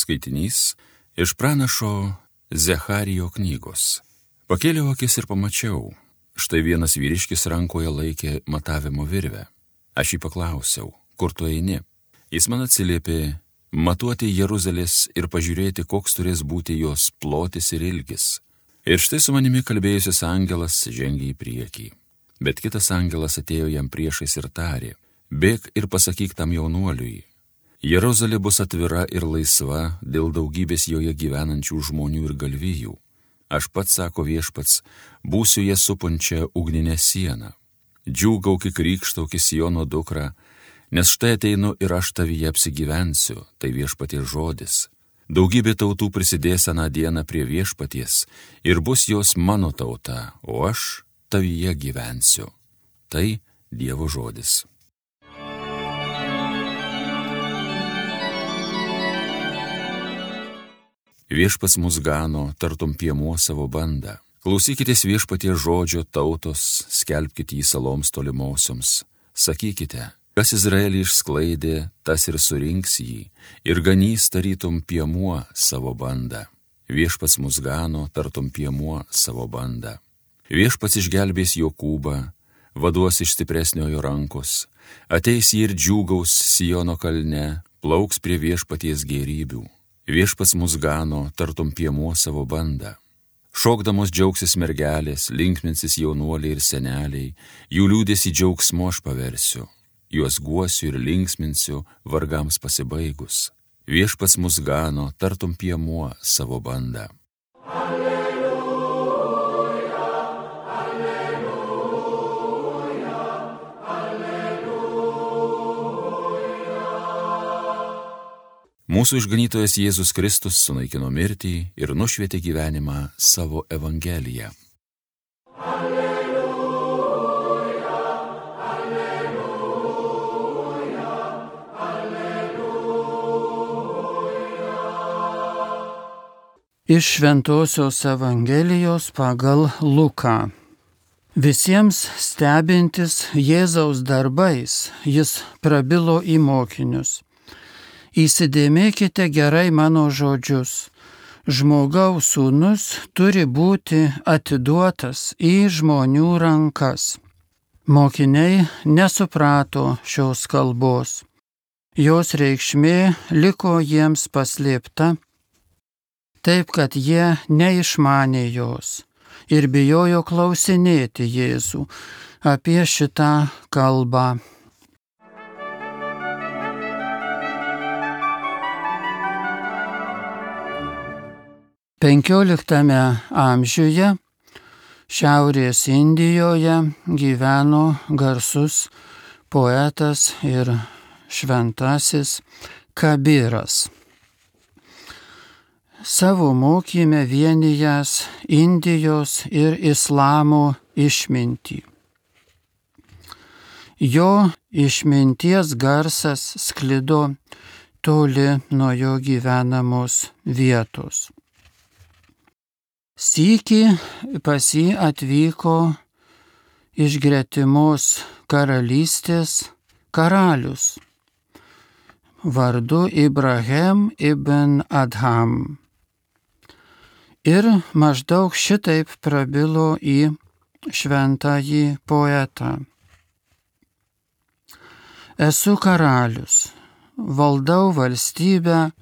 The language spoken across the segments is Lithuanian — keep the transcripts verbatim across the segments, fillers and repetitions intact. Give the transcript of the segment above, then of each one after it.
Skaitinys iš pranašo Zecharijo knygos. Pakėliau akis ir pamačiau, štai vienas vyriškis rankoje laikė matavimo virvę. Aš jį paklausiau, kur tu eini? Jis man atsiliepė, matuoti Jeruzalės ir pažiūrėti, koks turės būti jos plotis ir ilgis. Ir štai su manimi kalbėjusis angelas žengė į priekį. Bet kitas angelas atėjo jam priešais ir tarė, bėk ir pasakyk tam jaunuoliui. Jeruzalė bus atvira ir laisva dėl daugybės joje gyvenančių žmonių ir galvijų. Aš pats, sako viešpats, būsiu ją supančią ugninę sieną. Džiūgauk, krykštauk, Siono dukra, nes štai ateinu ir aš tavyje apsigyvensiu, tai viešpaties žodis. Daugybė tautų prisidės aną dieną prie viešpaties ir bus jos mano tauta, o aš tavyje gyvensiu. Tai Dievo žodis. Viešpats mus gano, tartum piemuo savo bandą. Klausykitės viešpaties žodžio tautos, skelbkite jį saloms tolimosioms. Sakykite, kas Izraelį išsklaidė, tas ir surinks jį, ir ganys tarytum piemuo savo bandą. Viešpats mus gano, tartum piemuo savo bandą. Viešpats išgelbės Jokūbą, vaduos iš stipresniojo rankos, ateis jį ir džiūgaus Siono kalne, plauks prie viešpaties gėrybių. Viešpats mus gano, tartum piemuo savo bandą. Šokdamos džiaugsis mergelės, linksminsis jaunuoliai ir seneliai, jų liūdesį džiaugsmu aš paversiu. Juos guosiu ir linksminsiu vargams pasibaigus. Viešpats mus gano, tartum piemuo savo bandą. Mūsų išganytojas Jėzus Kristus sunaikino mirtį ir nušvietė gyvenimą savo Evangeliją. Alleluja, alleluja, alleluja. Iš Šventosios Evangelijos pagal Luką. Visiems stebintis Jėzaus darbais, jis prabilo į mokinius. Įsidėmėkite gerai mano žodžius. Žmogaus sūnus turi būti atiduotas į žmonių rankas. Mokiniai nesuprato šios kalbos. Jos reikšmė liko jiems paslėpta, taip kad jie neišmanė jos ir bijojo klausinėti Jėzų apie šitą kalbą. penkioliktame amžiuje Šiaurės Indijoje gyveno garsus poetas ir šventasis Kabiras. Savo mokyme vienijęs Indijos ir Islamo išmintį. Jo išminties garsas sklido toli nuo jo gyvenamos vietos. Sykį pas jį atvyko iš gretimos karalystės karalius vardu Ibrahim ibn Adham. Ir maždaug šitaip prabilo į šventąjį poetą. Esu karalius, valdau valstybę,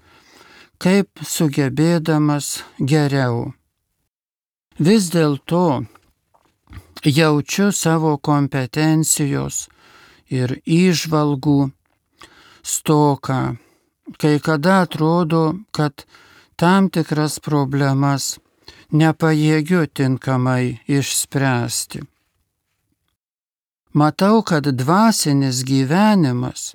kaip sugebėdamas geriau. Vis dėlto jaučiu savo kompetencijos ir įžvalgų stoką, kai kada atrodo, kad tam tikras problemas nepajėgiu tinkamai išspręsti. Matau, kad dvasinis gyvenimas,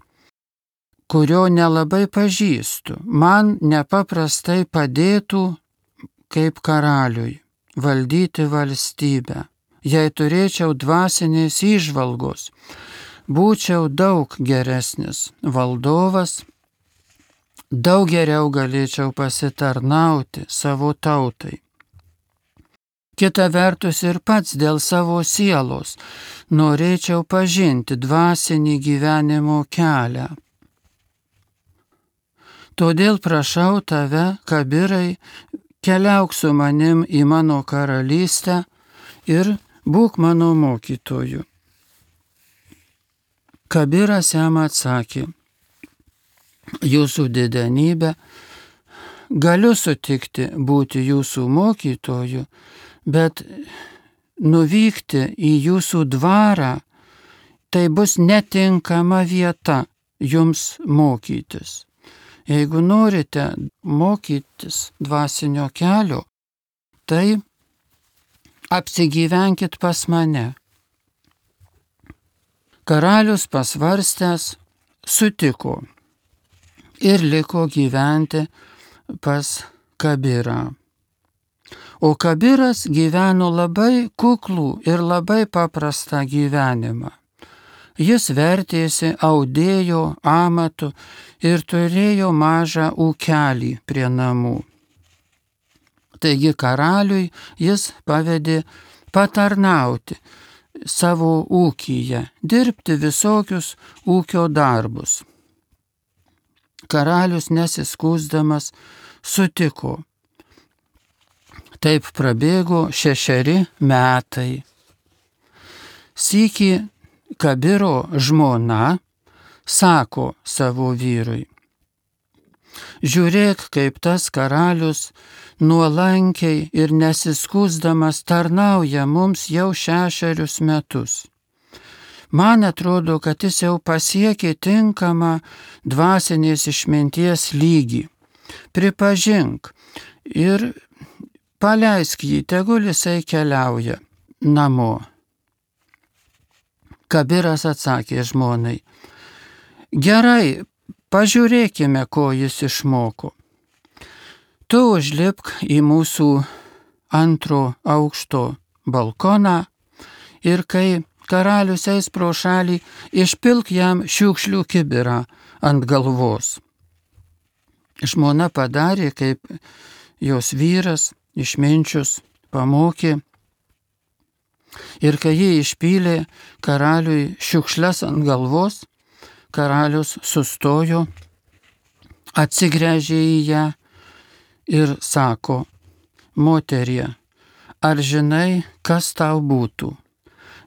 kurio nelabai pažįstu, man nepaprastai padėtų kaip karaliui valdyti valstybę. Jei turėčiau dvasinės įžvalgos, būčiau daug geresnis valdovas, daug geriau galėčiau pasitarnauti savo tautai. Kita vertus ir pats dėl savo sielos norėčiau pažinti dvasinį gyvenimo kelią. Todėl prašau tave, Kabirai, keliauk su manim į mano karalystę ir būk mano mokytoju. Kabiras jam atsakė, jūsų didenybė, galiu sutikti būti jūsų mokytoju, bet nuvykti į jūsų dvarą, tai bus netinkama vieta jums mokytis. Jeigu norite mokytis dvasinio kelio, tai apsigyvenkit pas mane. Karalius pasvarstęs sutiko ir liko gyventi pas Kabirą. O Kabiras gyveno labai kuklų ir labai paprastą gyvenimą. Jis vertėsi audėjo amatu ir turėjo mažą ūkelį prie namų. Taigi karaliui jis pavedė patarnauti savo ūkyje, dirbti visokius ūkio darbus. Karalius nesiskųsdamas sutiko. Taip prabėgo šešeri metai. Sykį Kabiro žmona sako savo vyrui, žiūrėk, kaip tas karalius nuolankiai ir nesiskųsdamas tarnauja mums jau šešerius metus. Man atrodo, kad jis jau pasiekė tinkamą dvasinės išminties lygį. Pripažink ir paleisk jį, tegul jisai keliauja namo. Kabiras atsakė žmonai, gerai, pažiūrėkime, ko jis išmoko. Tu užlipk į mūsų antro aukšto balkoną ir kai karalius eis pro šalį, išpilk jam šiukšlių kibirą ant galvos. Žmona padarė, kaip jos vyras išminčius pamokė. Ir kai jį išpylė karaliui šiukšles ant galvos, karalius sustojo, atsigręžė į ją ir sako, moterie, ar žinai, kas tau būtų,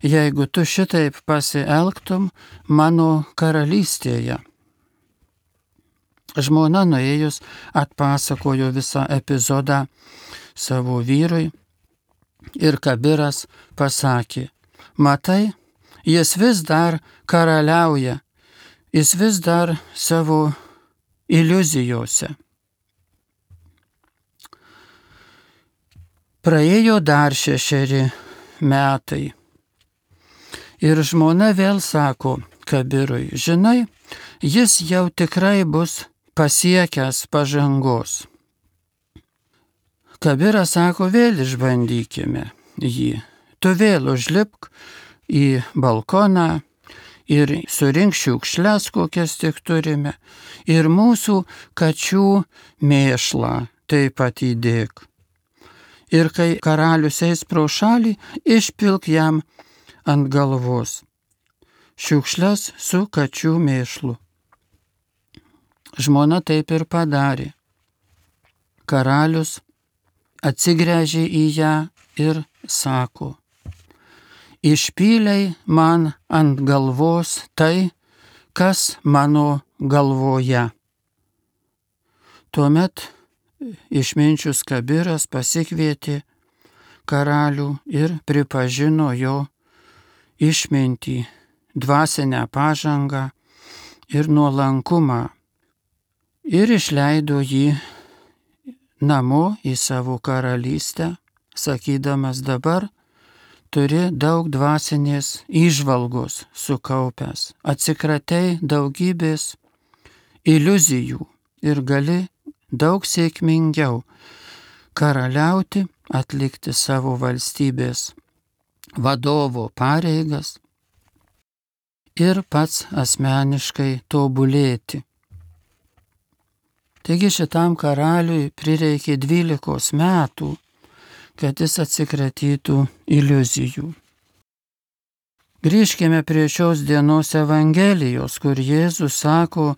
jeigu tu šitaip pasielgtum mano karalystėje? Žmona nuėjus atpasakojo visą epizodą savo vyrui ir Kabiras pasakė, matai, jis vis dar karaliauja, jis vis dar savo iliuzijose. Praėjo dar šešeri metai ir žmona vėl sako Kabirui, žinai, jis jau tikrai bus pasiekęs pažangos. Kabiras sako, vėl išbandykime jį. Tu vėl užlipk į balkoną ir surink šiukšles, kokias tik turime, ir mūsų kačių mėšlą taip pat įdėk. Ir kai karalius eis pro šalį, išpilk jam ant galvos šiukšles su kačių mėšlu. Žmona taip ir padarė. Karalius atsigręžė į ją ir sako, išpylei man ant galvos tai, kas mano galvoje. Tuomet išminčius Kabiras pasikvietė karalių ir pripažino jo išmintį, dvasinę pažangą ir nuolankumą ir išleido jį namo į savo karalystę, sakydamas dabar turi daug dvasinės įžvalgos sukaupęs, atsikratei daugybės iliuzijų ir gali daug sėkmingiau karaliauti, atlikti savo valstybės vadovo pareigas ir pats asmeniškai tobulėti. Taigi šitam karaliui prireikė dvylikos metų, kad jis atsikratytų iliuzijų. Grįžkime prie šios dienos Evangelijos, kur Jėzus sako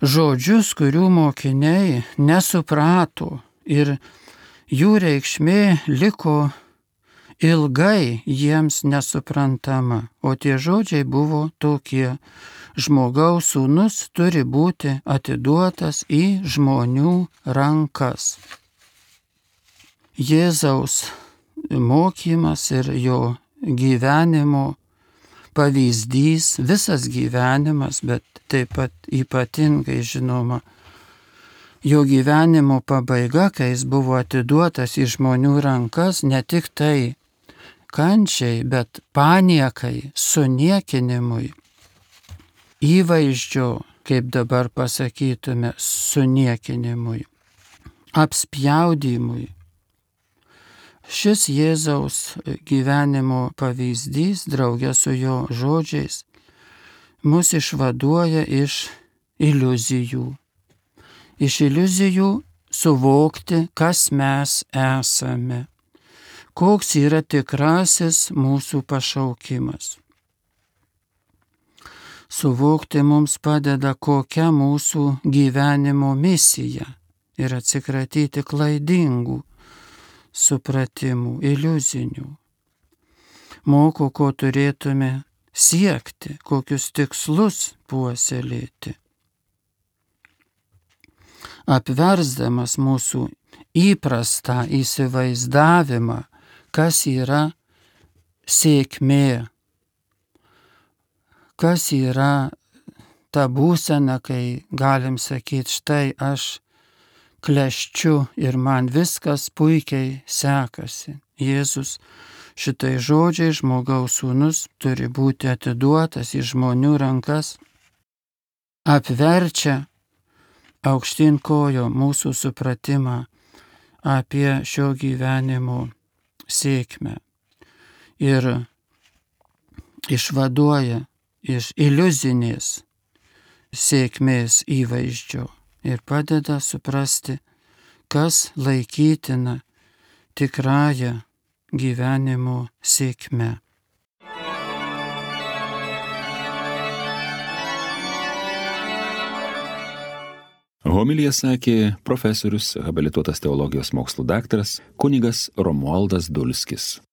žodžius, kurių mokiniai nesuprato ir jų reikšmė liko ilgai jiems nesuprantama, o tie žodžiai buvo tokie: žmogaus sūnus turi būti atiduotas į žmonių rankas. Jėzaus mokymas ir jo gyvenimo pavyzdys, visas gyvenimas, bet taip pat ypatingai žinoma, jo gyvenimo pabaiga, kai jis buvo atiduotas į žmonių rankas, ne tik tai kančiai, bet paniekai, suniekinimui, įvaizdžio, kaip dabar pasakytume, suniekinimui, apspjaudymui. Šis Jėzaus gyvenimo pavyzdys, draugė su jo žodžiais, mus išvaduoja iš iliuzijų. Iš iliuzijų suvokti, kas mes esame, koks yra tikrasis mūsų pašaukimas. Suvokti mums padeda, kokia mūsų gyvenimo misija ir atsikratyti klaidingų supratimų, iliuzinių. Moko, ko turėtume siekti, kokius tikslus puoselėti. Apversdamas mūsų įprastą įsivaizdavimą, kas yra sėkmė, kas yra ta būsena, kai galim sakyti, štai aš klesčiu ir man viskas puikiai sekasi. Jėzus šitai žodžiai, žmogaus sūnus turi būti atiduotas į žmonių rankas, apverčia aukštyn kojo mūsų supratimą apie šio gyvenimo sėkmę ir išvaduoja iš iliuzinės sėkmės įvaizdžio ir padeda suprasti, kas laikytina tikrąja gyvenimo sėkme. Homiliją sakė profesorius, habilituotas teologijos mokslų daktaras kunigas Romualdas Dulskis.